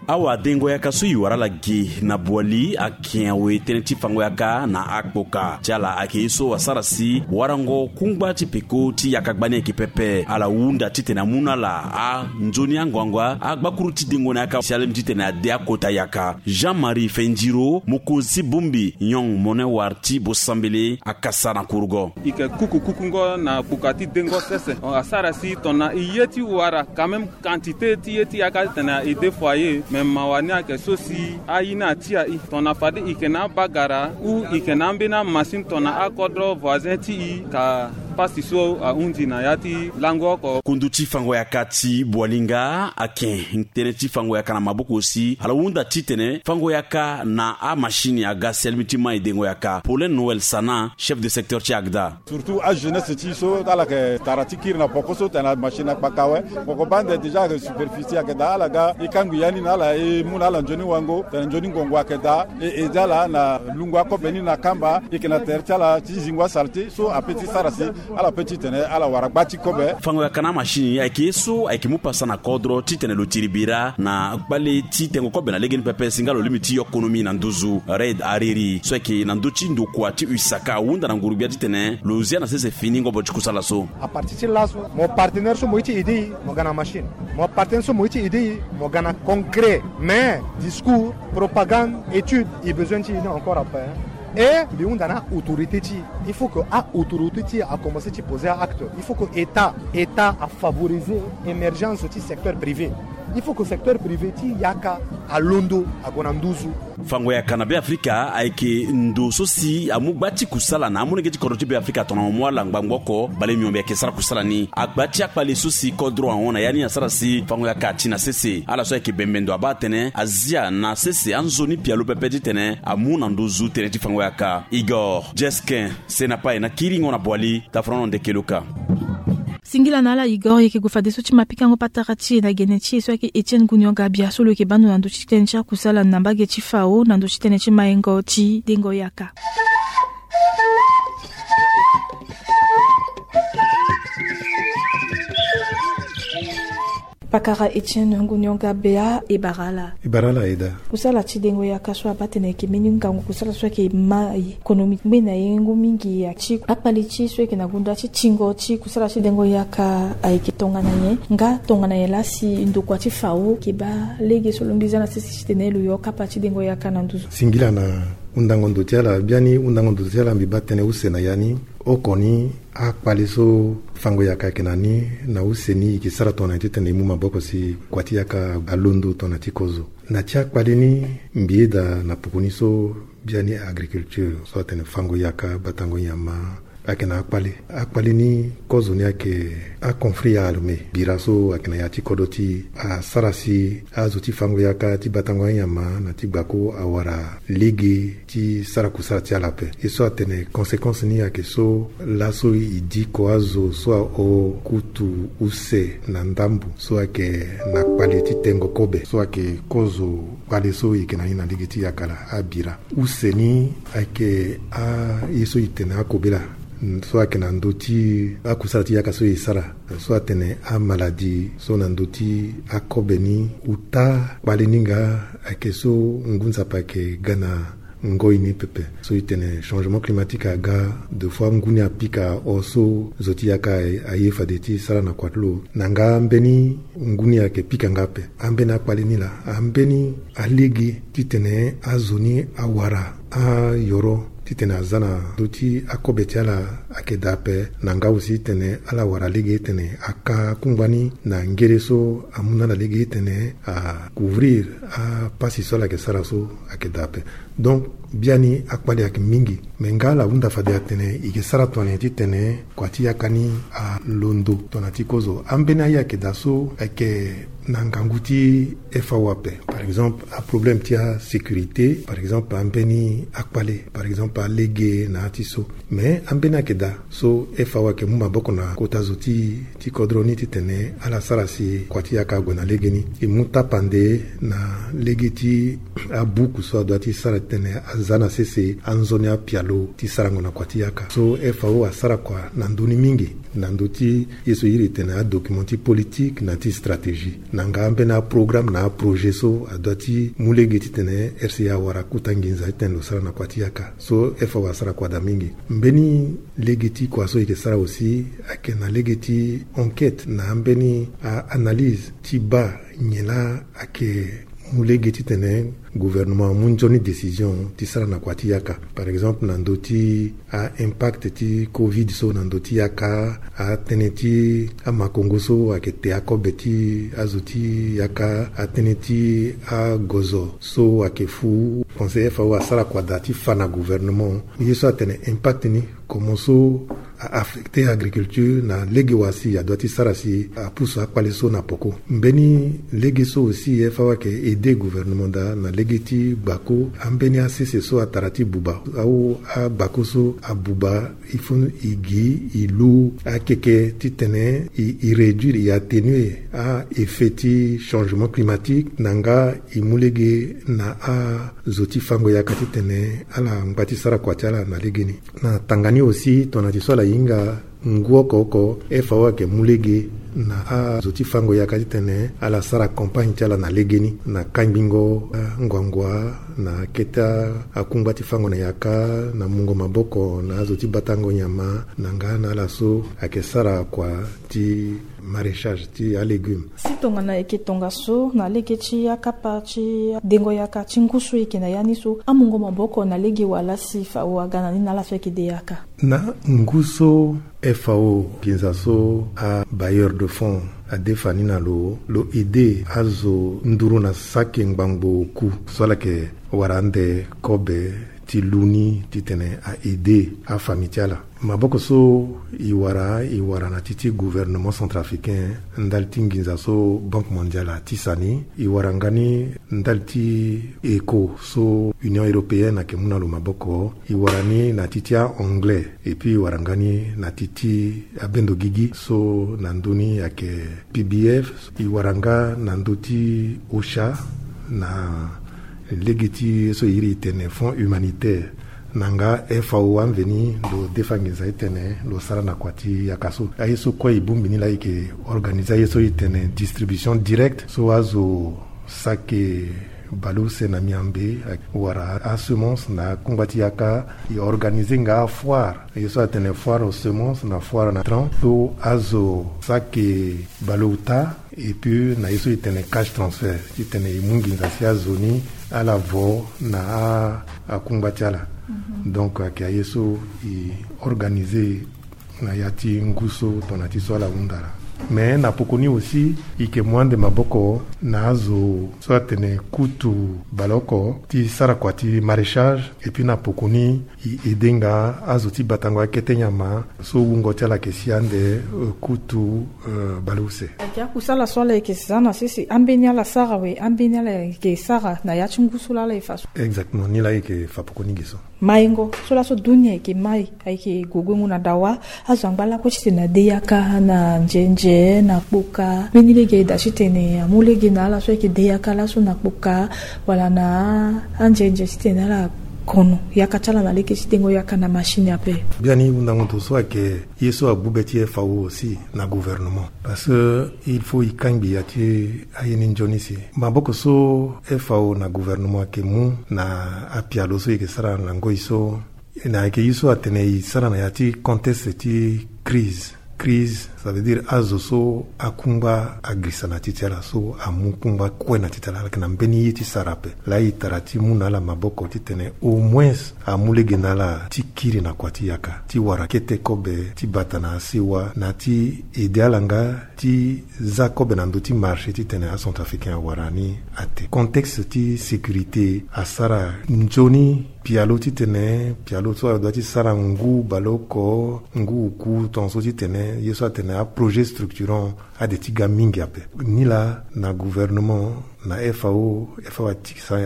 Awadengo yaka so e wara ala gi na Boali ayeke awe tënë ti fango yaka na akpoka ti ala ayeke ye so asara si warango kungba ti peko ti yaka gbani ayeke pepe. Ala hunda titene amu na ala anzoni ango ango agbakuru ti dengo na yaka si alingbi titene ade akota yaka. Jean-Marie Fendiro, mokonzi ti bongbi nyong mone war ti bosambele, akasa na kurugo. E yeke kuku kukungo na kpuka ti dengo sese. Asara si tongana e ye ti wara quand même quantité ti ye ti yaka titene e de foyer, me mawa ni ayeke so si aye ni atia e. Tongana fade e yeke na abagara ou e yeke na ambeni amasini tongana akodro voisin ti e ka pasi so ahundi na ya ti lango oko. Kundu ti fango yaka ti Boali nga ayeke tënë ti fango yaka na maboko si ala hunda titene fango yaka na amasini aga si alingbi ti ma e dengo yaka. Paulin Noël Sana, chef de secteur ti ACDA. Surtout ajeunesse ti e so ala yeke tara ti kiri na poko so tene amasini akpaka awe. Poko bande déjà ayeke superficie ayeke daa, ala ga e kangbi ya ni na ala, e mu na ala nzoni wango tene nzoni ngongo ayeke daa. E aidé ala na lungo akobe ni na kamba. E yeke na tere ti ala ti zingo asalté so ape ti sara si ala pe titene ala wara gba ti kobe. Fango yaka na amasini ayeke ye so ayeke mu pasa na kodro titene lo tiri bira na kpale ti tengo kobe na lege ni pepe si nga lo lingbi ti yo konomi na nduzu. Reid Hariri so ayeke na ndö ti ndokua ti usaka ahunda na nguru-gbia titene lo zia na sese fini ngobo ti kusala so. Apartir ti laso, mo partenaire so mo ye ti aidé e, mo ga na machine. Mo partenaire so mo ye ti aidé e, mo ga na concret. Mais discours, propagande, étude, e besoin ti e ni encore après, hein. Et mbi hunda na autorité ti e, il faut que a autorité ti e a commencé ti poser acte. Il faut que état, état a favoriser émergence ti secteur privé. Il faut que secteur privé ti yaka alondo ague na nduzu. Fango yaka na Be Afrika ayeke ndo so si amu gba ti kusala na amolenge ti kodro ti Be Afrika tongana mo mu ala ngbangbo oko bale miombe ayeke sara kusala ni. Agba ti akpale so si kodro ahon na ya ni asara si fango yaka ati na sese. Ala so ayeke bembe ndo abaa atene azia na sese anzoni pialo pepe titene amu na nduzu tënë ti fango yaka. Igor Jeskin, sena pai na kiringo na Boali, tafrono ndeke luka. Singila na ala Igor, e yeke gue fadeso ti ma pikango patara ti e na gene ti e so ayeke Etienne Gunion Gabia so lo yeke baa ndo na ndö ti tënë ti akusala na mbage ti fao na ndö ti tënë ti mayengo ti dengo yaka. Pakara Etienne Ngunion Gabea, e bara ala. E bara ala aye daa. Kusala ti dengo yaka so abaa tene ayeke mbeni ngangu kusala so ayeke ma e konomi ngbene na yengo mingi ya ti akpale ti e so ayeke na gonda ti tingo ti kusala ti dengo yaka ayeke tongana nyen? Nga tongana nyen laa si ndokua ti fao ayeke baa lege so lo mbi za na sese titene lo yo kapa ti dengo yaka na nduzu? Singila na hundango ndo ti ala. Biani hundango ndo ti ala mbi baa tënë use na ya ni. Oko ni akpale so fango yaka ayeke na ni na use ni e yeke sara tongana nyen titene e mu maboko si kua ti yaka alondo tongana ti kozo. Na ti akpale ni mbi yeda na poko ni so biani agriculture so atene fango yaka, batango nyama, ayeke na akpale. Akpale ni kozo ni ayeke aconflit armé bira so ayeke na ya ti kodro ti e asara si azo ti fango yaka, ti batango anyama na ti gbako awara lege ti sara kusala ti ala ape. Ye so atene conséquence ni ayeke so laso e diko azo so ahon kutu use na ndambo so ayeke na kpale ti tengo kobe so ayeke kozo kpale so e yeke na ni na lege ti yaka la abira. Use ni ayeke aye so e tene akobela so ayeke na ndö ti akusala ti yaka so e sara so atene amaladi so na ndö ti akobe ni. Uta kpale ni nga ayeke so ngu nzapa ayeke ga na ngoi ni pepe. So e tene changement climatique aga, deux fois ngu ni apika, or so zo ti yaka aye fade ti sara na kua ti lo. Na nga mbeni ngu ni ayeke pika nga ape. Ambeni akpale ni laa, ambeni alege titene azo ni awara ayoro titene aza na ndö ti akobe ti ala ayeke daa ape. Na nga aussi titene ala wara lege titene aka kungba ni na ngere so amu na ala lege titene acouvrir apasi so ala yeke sara so ayeke daa ape. Donc biani akpale ayeke mingi, me nga ala hunda fade atene e yeke sara tongana nyen titene kua ti yaka ni alondo tongana ti kozo. Ambeni aye ayeke daa so ayeke na ngangu ti F A O ape. Par exemple aproblème ti asécurité, par exemple ambeni akpale, par exemple alege na ya ti so. Me ambeni ayeke daa so F A O ayeke mu maboko na kota zo ti ti kodro ni titene ala sara si kua ti yaka ague na legeni. E mu tapande na lege ti abuku so adua ti sara titene aza na sese anzoni apialo ti sarango na kua ti yaka. So F A O asara kua na ndö ni mingi, na ndö ti ye so e iri tene adocument ti politique na ti stratégie, na nga ambeni aprograme na aprojet so adua ti mu lege titene R C A awara kota nginza titene lo sara na kua ti yaka. So F A O asara kua daa mingi. Mbeni lege ti kua so e yeke sara aussi ayeke na lege ti enquête na ambeni a-analyse ti baa nyen laa ayeke mu lege titene gouvernement amu nzoni décision ti sara na kua ti yaka. Par exemple na ndö ti a-impact ti covid so na ndö ti yaka, atënë ti amakongo so ayeke te akobe ti azo ti yaka, atënë ti agozo so ayeke fu. Pense F A O asara kua daa ti fa na gouvernement ye so atene impact ni comment so a-affecter agriculture na lege wa si adua ti sara si apusu akpale so na poko. Mbeni lege so aussi F A O ayeke aider gouvernement daa na lege ti gbako ambeni asese so atara ti buba, au agbako so abuba, il faut e gi e lu akeke titene e, e réduire, e atténuer a-effet ti changement climatique, na nga e mu lege na azo ti fango yaka titene ala ngba ti sara kua ti ala na legeni. Na tanga ni aussi tongana ti so ala hinga ngu oko oko, F A O ayeke mu lege na azo ti fango yaka titene ala sara campagne ti ala na legeni, na kangbingo anguangua na kete akungba ti fango na yaka, na mungo maboko na azo ti batango nyama, na nga na ala so ayeke sara kua ti maraîchage ti alégume. Si tongana e yeke tongaso na lege ti akapa ti dengo yaka ti ngu so e yeke na ya ni so, amungo maboko na lege wa laa si F A O aga na ni na ala so ayeke de yaka? Na ngu so F A O nginza so abailleur de fonds adefa ni na lo, lo aider azo nduru na saki ngbangbo oku so ala yeke wara ande kobe ti lu ni titene a-aider afamille ti ala. Maboko so e wara, e wara na ti ti gouvernement centrafricain ndali ti nginza so Banque Mondiale atisa ni. E wara nga ni ndali ti ECHO so Union Européenne ayeke mu na lo maboko. E wara ni na ti ti a-anglais, et puis e wara nga ni na ti ti abendo gigi so na ndö ni ayeke P B F. E wara nga na ndö ti OCHA na lege ti ye so e iri e tene fonds humanitaire, na nga F A O amveni lo defa nginza ti tene lo sara na kua ti yaka so. Aye so kue e bongbi ni laa e yeke organiser aye so e tene distribution directe so azo saki baleuse na miambe wala asemence na akungba ti yaka. E organiser nga afoire, ye so atene foire aux semences na foire na tran so azo saki baleota. Et puis na ye so e tene cash transfert titene e mu nginza si azo ni ala vo na a, akungba ti ala. Donc ayeke aye so e organiser na ya ti ngu so tongana ti so ala hunda laa. Mais na poko ni aussi e yeke mu ande maboko na azo so atene kutu baleoko ti sara kua ti maraîchage. Et puis na poko ni e aider nga azo ti batango akete nyama so wungo ti ala yeke si ande, euh, kutu, euh, baleuse. Ayeke akusala so ala yeke za na sese, ambeni ala sara awe, ambeni ala yeke sara na ya ti ngu so laa ala yeke fa so. Exactement, ni laa e yeke fa poko ni ge so. Maingo so laso dunia ayeke mai, ayeke gue guengo na dawa. Azo angba lakue titene ade yaka na nzenze na kpoka. Mbeni lege aye daa titene amu lege na ala so ayeke de yaka laso na kpoka wala na anzenze titene ala kono yaka ti ala na lege ti dengo yaka na machine ape. Biani hundango ndo so ayeke ye so agbu be ti F A O aussi na gouvernement, parce que il faut e kangbi ya ti aye ni nzoni si maboko so F A O na gouvernement ayeke mu na apialo so e yeke sara na ngoi so. Na ayeke ye so atene e sara na ya ti contexte ti crise, crise, ça veut dire azo so akungba agirisa na titi ala, so amu kungba kue na titi ala, ala yeke na mbeni ye ti sara ape. Laa e tara ti mu na ala maboko titene au moins amu lege na ala ti kiri na kua ti yaka ti wara kete kobe ti bata na asewa, na ti ede ala nga ti za kobe na ndö ti marché titene acentrafricain awara ni ate. Contexte ti sécurité asara nzoni pialo titene pialo so adua ti sara ngu baleoko, ngu oku, tongaso titene ye so atene aprojet structurant ade ti ga mingi ape. Nilaa na gouvernement, na F A O, F A O atikisa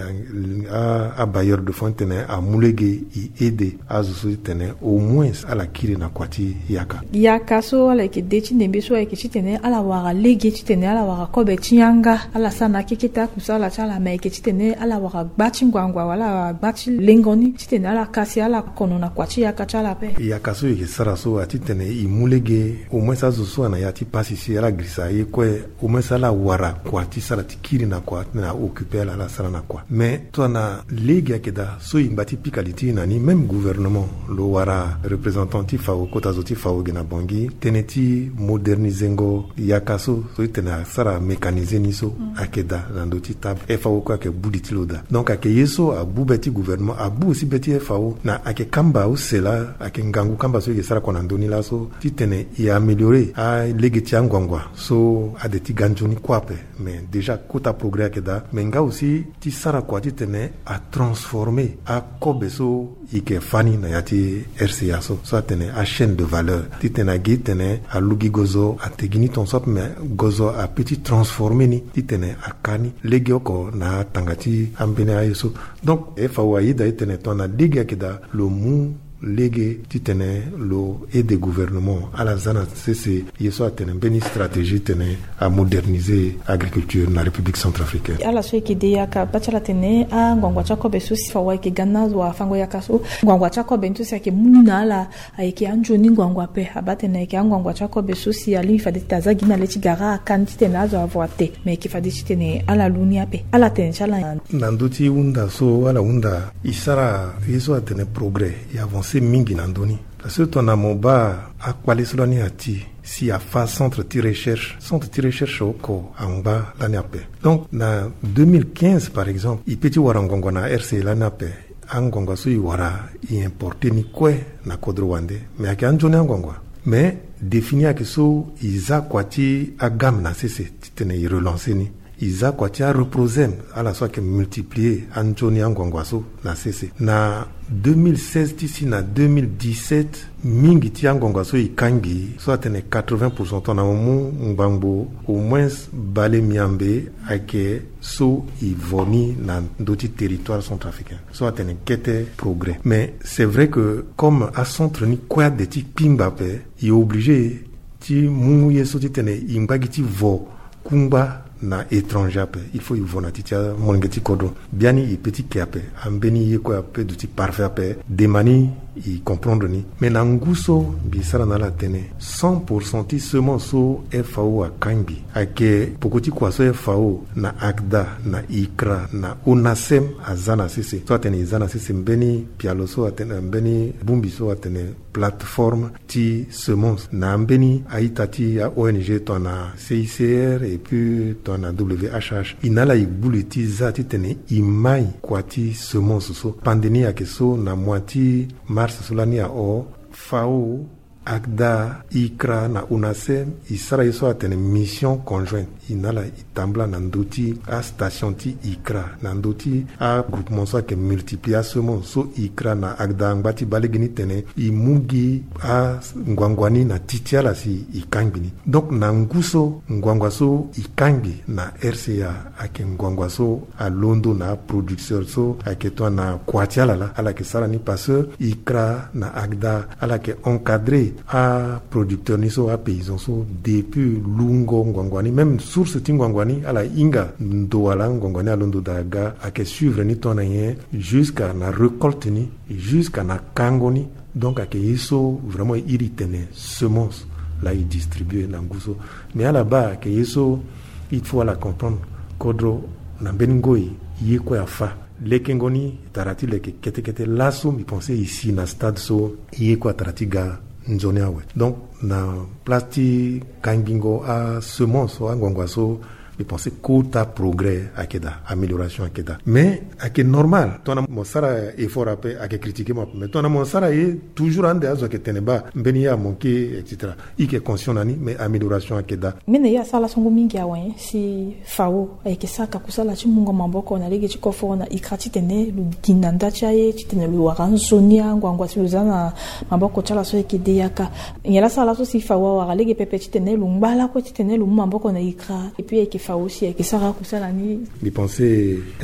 abailleur de fonds titene amu lege e aide azo so titene au moins ala kiri na kua ti yaka. Yaka so ala yeke de ti ndembe so ayeke titene ala wara lege titene ala wara kobe ti yanga, ala sara na akekete akusala ti ala, me ayeke titene ala wara gba ti ngbangua wala ala wara gba ti lengo ni titene ala kasi ala kono na kua ti yaka ti ala ape. Yaka so e yeke sara so atitene e mu lege au moins azo so ana ya ti pasi si ala girisa ye kue, au moins ala wara kua ti sara ti kiri na kua titene a occuper ala, ala sara na kua. Mais tongana lege ayeke daa so e ngba ti pika li ti e na ni, même gouvernement lo wara représentant ti F A O, kota zo ti F A O ge na Bangui, tënë ti modernisengo yaka so, so titene asara mécaniser ni so ayeke daa na ndö ti table. F A O kue ayeke bu li ti lo daa. Donc ayeke ye so abu be ti gouvernement, abu aussi be ti F A O, na ayeke kamba use laa, ayeke ngangu kamba so e yeke sara kua na ndö ni laso titene e améliorer alege ti angbangua so ade ti ga nzoni kue ape. Mais déjà kota progrès ayeke daa, mais nga aussi ti sara kua titene atransformer akobe so e yeke fâ ni na ya ti R C A so, so atene achaîne de valeur, titene agi titene alugi gozo ate gi ni tongaso ape, mais gozo apeut ti transformer ni titene aka ni legeoko na atanga ti ambeni aye so. Donc F A O ayeda titene tongana lege ayeke daa, lo mu lege titene lo aide gouvernement ala za na sese ye so atene mbeni stratégie titene amoderniser agriculture na République centrafricaine. Ala so e yeke de yaka baa ti ala tene angbangua ti akobe so si F A O ayeke ga na azo afango yaka so, ngbangua ti akobe ni so si ayeke mu ni na ala ayeke anzoni ngbangua ape. Abaa tene ayeke angbangua ti akobe so si alingbi fade titene aza gi na le ti gara aka ni titene azo avo ate, me ayeke fade titene ala lu ni ape. Ala tene ti ala na ndö ti hunda so ala hunda, e sara ye so atene progrès, e avancer mingi na ndö ni. Parce que tongana mo baa akpale so lani ati si afa centre ti recherche, centre ti recherche oko angba lani ape. Donc na deux mille quinze par exemple, e peut ti wara ngbongbon na R C lani ape. Angbongbon so e wara, e importer ni kue na kodro wande, mais ayeke anzoni angbongbon. Mais défi ni ayeke so e za kua ti agamme na sese titene e relancer ni. E za kua ti areprosème, ala so ayeke multiplier anzoni angbongbon so na sese. Na deux mille seize ti si na deux mille dix-sept, mingi ti angbongbon so e kangbi, so atene quatre-vingts pour cent, tongana mo mu ngbangbo au moins bale miambe ayeke so e vo ni na ndö ti territoire centrafricain, so atene kete progrès. Mais c'est vrai que comme acentre ni kue ade ti kpingba ape, e obligé ti mu ye so titene e ngba gi ti vo kungba na étranger ape. Il faut e vo na ti ti amolenge ti kodro. Biani e peut ti ke ape, ambeni ye kue ape duti parfait ape, dema ni e comprendre ni. Mais na ngu so mbi sara na ala tënë, cent pour cent ti semence so F A O akangbi, ayeke peko ti kua so F A O na ACDA na ICRA na ONACEM aza na sese. So atene e za na sese mbeni pialo so atene, mbeni bongbi so atene plateforme ti semence na mbeni a-ita ti a-O N G tongana C I C R et puis tongana W H H. E na ala e gbu li ti za titene e mai kua ti semence so. Pande ni ayeke so, na mois ti mars so lani aho, F A O, ACDA, ICRA na ONACEM e sara ye so atene mission conjointe. E na ala e tambula na ndö ti astation ti ICRA, na ndö ti agroupement so ayeke multiplier asemence so ICRA na ACDA angba ti baa lege ni tene e mu gi angbongbon ni na ti ti ala si e kangbi ni. Donc na ngu so ngbongbon so e kangbi na R C A ayeke ngbongbon so alondo na aproducteur so ayeke tongana kua ti ala laa, ala yeke sara ni parce que ICRA na ACDA ala yeke encadrer aproducteur ni so, apaysan so, depuis lungo ngbongbon ni, même source ti ngbongbon ni ala hinga ndo wala ngbongbon ni alondo daa ga, ayeke suivre ni tongana nyen jusqu'à na récolte ni, jusqu'à na kango ni. Donc ayeke ye so vraiment e iri tene semence laa e distribuer na ngu so. Mais ala baa ayeke ye so il faut ala comprendre, kodro na mbeni ngoi ye kue afa. Lekengo ni tara ti leke kete kete. Laso mbi pense e si na stade so ye kue atara ti ga nzoni awe. Donc na place ti kangbingo asemence so angbangba so, mbi pense kota progrès ayeke daa, amélioration ayeke daa. Mais ayeke normal tongana mo sara effort ape, ayeke critiquer mo ape. Mais tongana mo sara ye toujours ande azo ayeke tene baa mbeni ye amanquer, et cetera. I yeke conscient na ni, mais amélioration ayeke daa. Mbi ne ye asara laso ngu mingi awe si FAO ayeke sara ka kusala ti mungo maboko na lege ti koforo na ICRA titene lo gi na nda ti aye titene lo wara nzoni anguangu si lo za na maboko ti ala so ayeke de yaka. Nyen la sara laso si FAO awara lege pepe titene lo ngba lakue titene lo mu maboko na ICRA? Et puis ayeke FAO si ayeke sara kusala ni. Mbi pense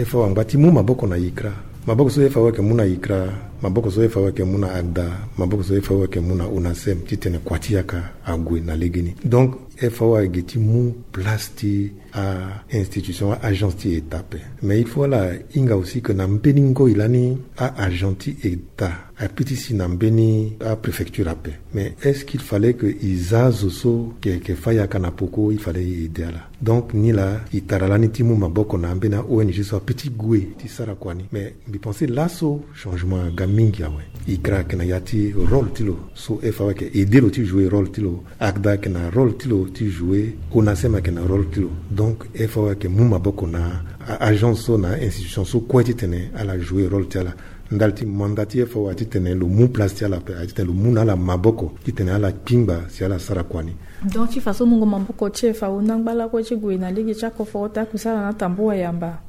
FAO angba ti mu maboko na ICRA. Maboko so FAO ayeke mu na ICRA, maboko so FAO ayeke mu na ACDA, maboko so FAO ayeke mu na ONASEM titene kua ti yaka ague na legeni. Donc FAO ayeke ti mu place ti a-institution, a-agence ti État ape. Mais il faut ala hinga aussi que na mbeni ngoi lani a-agent ti État ape ti si na mbeni apréfecture ape. Mais est-ce qu'il fallait que i za azo so yeke fa yaka na poko, il fallait i aider ala? Donc ni laa i tara lani ti mu maboko na ambeni a-ONG so ape ti gue ti sara kua ni. Mais mbi pense laso changement aga mingi awe. ICRA ayeke na ya ti rôle ti lo so FAO ayeke aider lo ti jouer rôle ti lo. ACDA ayeke na rôle ti lo ti jouer, ONASEM ayeke na rôle ti lo. Donc FAO ayeke mu maboko na a-agence so na a-institution so kue titene ala jouer rôle ti ala. Ndali ti mandat ti FAO aye titene lo mu place ti ala ape, aye titene lo mu na ala maboko titene ala kpingba si ala sara kua ni. Donc ti faso mungo maboko ti FAO na ngba lakue ti gue na lege ti akoforo ti akusala na tambua yamba.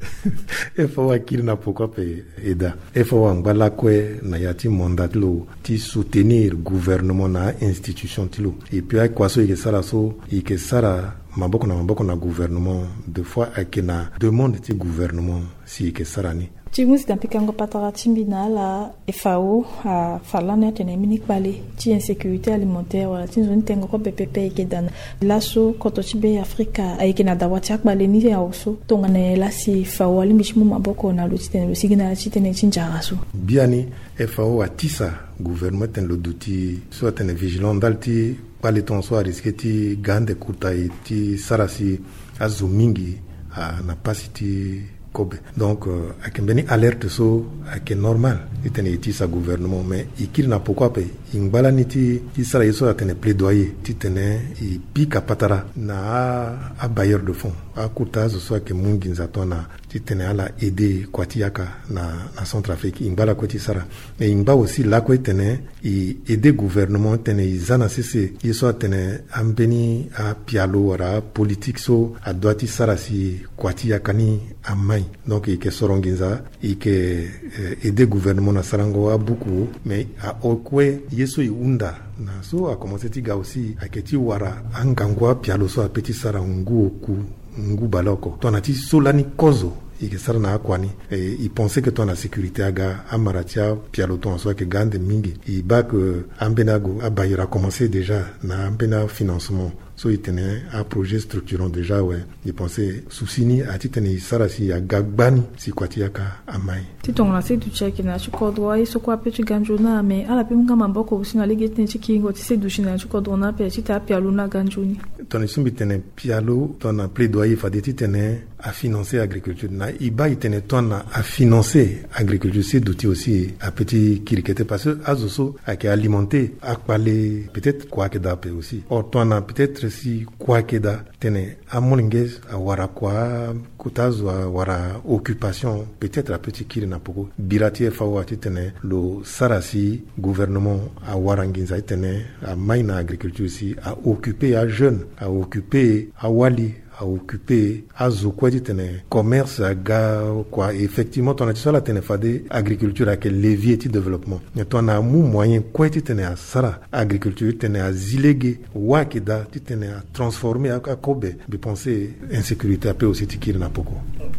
FAO akiri na poko ape. Eda, FAO angba lakue na ya ti mandat ti lo ti soutenir gouvernement na a-institution ti lo. Et puis akua so e yeke sara so, e yeke sara maboko na maboko na gouvernement. De fois ayeke na demande ti gouvernement si e yeke sara ni. Ti hunzi na pikango patara ti mbi na ala, FAO afa lani atene mbeni kpale ti insécurité alimentaire wala ti nzoni tengo kobe pepe ayeke daa na laso koto ti Be Afrika ayeke na dawa ti akpale ni awe so. Tongana nyen la si FAO alingbi ti mu maboko na lo titene lo sigi na ya ti tënë ti nzara so? Biani FAO atisa gouvernement titene lo duti so atene vigilant ndali ti kpale tongaso arisque ti ga ande kota e ti sara si azo mingi a na pasi ti kobe. Donc euh, ayeke mbeni alerte so ayeke normal titene e tisa gouvernement, mais e kiri na poko ape. E ngba lani ti, ti sara ye so atene plaidoyer titene e pika patara na a, abailleur de fonds, akota azo so ayeke mu nginza tongana titene ala aider kua ti yaka na, na Centrafrique. E ngba lakue ti sara. E ngba aussi lakue titene e aider gouvernement titene e za na sese ye so atene ambeni apialo wala apolitique so adoit ti sara si kua ti yaka ni amai. Donc e yeke soro nginza, e yeke eh, aider gouvernement na sarango abuku, mais aokue ye so e hunda na so akomanse ti ga aussi ayeke ti wara angangu apialo so ape ti sara ngu oku, ngu baleoko. Tongana ti so lani kozo e yeke sara na akua ni. E, e pense que tongana sécurité aga, amara ti apialo tongaso ayeke ga ande mingi. E baa que ambeni ago, abailleur akomanse déjà na ambeni afinancement so e tene aprojet structurant déjà awe. E pense souci ni aye titene e sara si aga gbani si kua ti yaka amai. Ti tongana si duti ayeke na ya ti kodro, aye so kue ape ti ga nzoni, mais ala pe mu nga maboko aussi na lege ti tënë ti kiringo ti se duti na ya ti kodro ni ape titene apialo ni aga nzoni. Tongana e so mbi tene pialo, tongana plaidoyer fade titene afinancer agriculture. Na e baa e tene tongana afinancer agriculture, se duti aussi ape ti kiri kete, parce que azo so ayeke alimenter akpale, peut-être kua ayeke daa ape aussi. Or tongana peut-être si kua ayeke daa, tene amolenge awara kua, kota azo awara occupation, peut-être ape ti kiri na poko. Bira ti FAO aye titene lo sara si gouvernement awara nginza titene amai na agriculture si a occuper ajeune, a occuper awali, a occuper azo kue titene commerce aga kua. Effectivement tongana ti so ala tene fade agriculture ayeke levier ti développement, mais tongana amu moyen kue titene asara agriculture titene azi lege, wâ ayeke daa titene atransformer a, akobe, mbi pense insécurité ape aussi ti kiri na poko.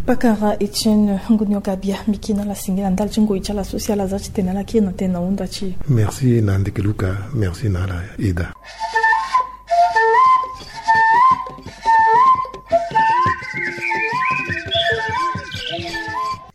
Pakara Etienne Ngunio Gabia, mbi yeke na ala singila ndali ti ngoi ti ala so si ala za titene ala kiri na tënë na hunda ti e. Merci na Ndeke Luka, merci na ala Eda.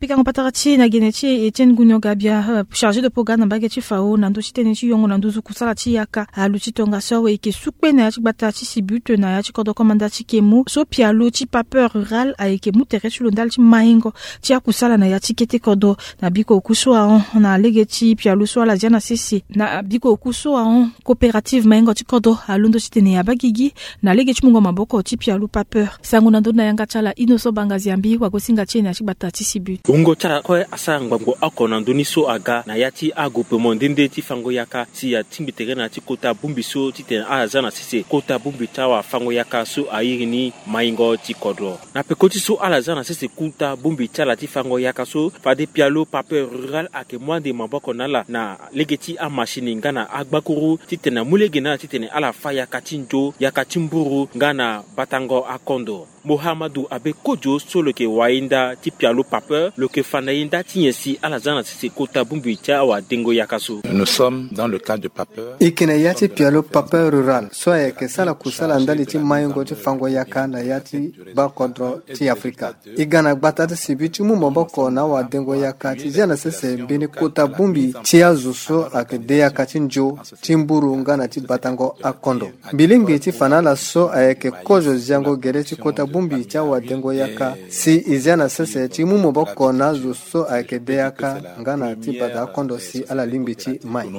Yango patara ti na gene ti Etienne Gunio Gabia, chargé de programme na mbage ti fao na ndö ti tënë ti yongo na nduzu kusala ti yaka aluti tongaso awe eke su kpe na ya ti gbata ti Sibut na ya ti kodro komanda ti Kemu so pialo ti Papeur Rural ayeke mu tere ti lo ndali ti maingo ti akusala na ya ti kete kodro. Na biko oku so ahon na lege ti pialo so ala zia na sese na biko oku so ahon coopérative maingo ti kodro alondo titene abagigi na lege ti mungo maboko ti pialo Papeur. Sango na ndö na yanga ti ala Innocent Bangaziambi wagosinga ti e na ya ti gbata ti Sibut. Wungo ti ala kue asara ngbangbo oko na ndö ni so aga na ya ti agroupement nde nde ti fango yaka si atingbi tere na ya ti kota bongbi so titene ala za na sese kota bongbi ti awafango yaka so airi ni maingo ti kodro. Na peko ti so ala za na sese kota bongbi ti ala ti fango yaka so fade pialo Papeur Rural ayeke mu ande maboko na ala na lege ti amashini nga na agbakuru titene amu lege na ala titene ala fa yaka ti nzo, yaka ti mburu nga na batango akondo. Mohamadu Abe Kojo so lo yeke wainda ti pialo Papeur lo yeke fa na e nda ti nyen si ala za na sese kota bongbi ti awadengo yaka so. Nous sommes dans le cadre de Papeur. E yeke na ya ti pialo Papeur Rural so ayeke sara kusala ndali ti maingo ti fango yaka na ya ti bakodro ti Afrika. E ga na gbata ti Sibut ti mu maboko na awadengo yaka ti zia na sese mbeni kota bongbi ti azo so ayeke de yaka ti nzo, ti mburu nga na ti batango akondo. Mbi lingbi ti fa na ala so ayeke kozo ziango gere ti kota bongbi ti awadengo yaka si e zia na sese ti mu maboko na azo so ayeke de yaka nga na ti bata akondo si ala lingbi ti mai.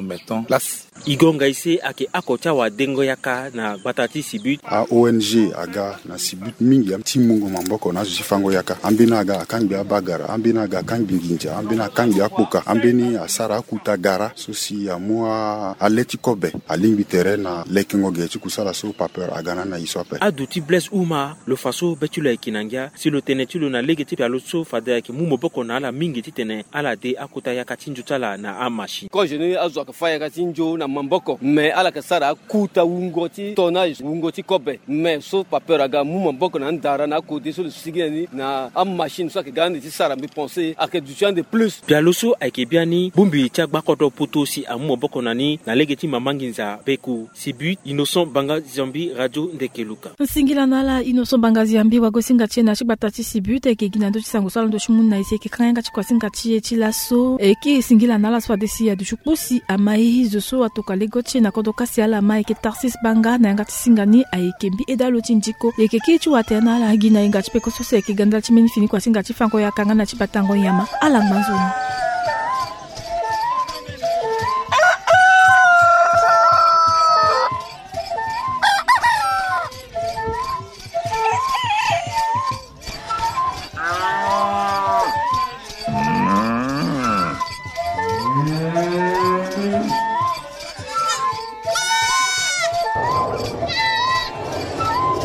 E gonga ise ayeke oko ti awadengo yaka na gbata ti Sibut. A O N G aga na Sibut mingi ti mungo maboko na azo ti fango yaka. Ambeni aga akangbi abagara, ambeni aga akangbi nginza, ambeni akangbi akpoka, ambeni asara akuta gara so si amu a- ale ti kobe. Alingbi tere na lekengo ge ti kusala so Papeur aga na na e so ape. Adu ti Blaise Uma lo fa so be ti lo ayeke na ngia si lo tene ti lo na lege ti pialo so fade ayeke mu maboko na ala mingi titene ala de akota yaka ti nzo ti ala na amashine. Kozo ni azo ayeke fa yaka ti nzo na maboko me ala yeke sara akuta wungo ti tonnage, wungo ti kobe. Me so Papeur aga amu maboko na andara na akode so lo sigi na ni na amashine so ayeke ga ande ti sara mbi pense ayeke duti ande plus. Pialo so ayeke biani bongbi ti agbakodro poto si amu maboko na ni na lege ti mama nginza beku. Sibut, Innocent Bangaziambi, Radio Ndekeluka. Nsingila na ala Innocent Bangaziambi wagosinga ti e na ya ti gbata ti Sibut ayeke gi na ndö ti sango so ala ndo ti mu na e si ayeke kanga yanga ti kuasinga ti e ti laso. Ayeke singila na ala so fade si aduti kpo si ama e zo so atokua lego ti e na kodro kasi ala ma ayeke Tarsis Banga na yanga ti singa ni ayeke mbi eda lo ti ndiko. Ayeke kiri ti watere na ala gi na hinga ti peko so si ayeke ga ndali ti mbeni fini kuasinga ti fango yaka nga na ti batango nyama. Ala ngba nzoni.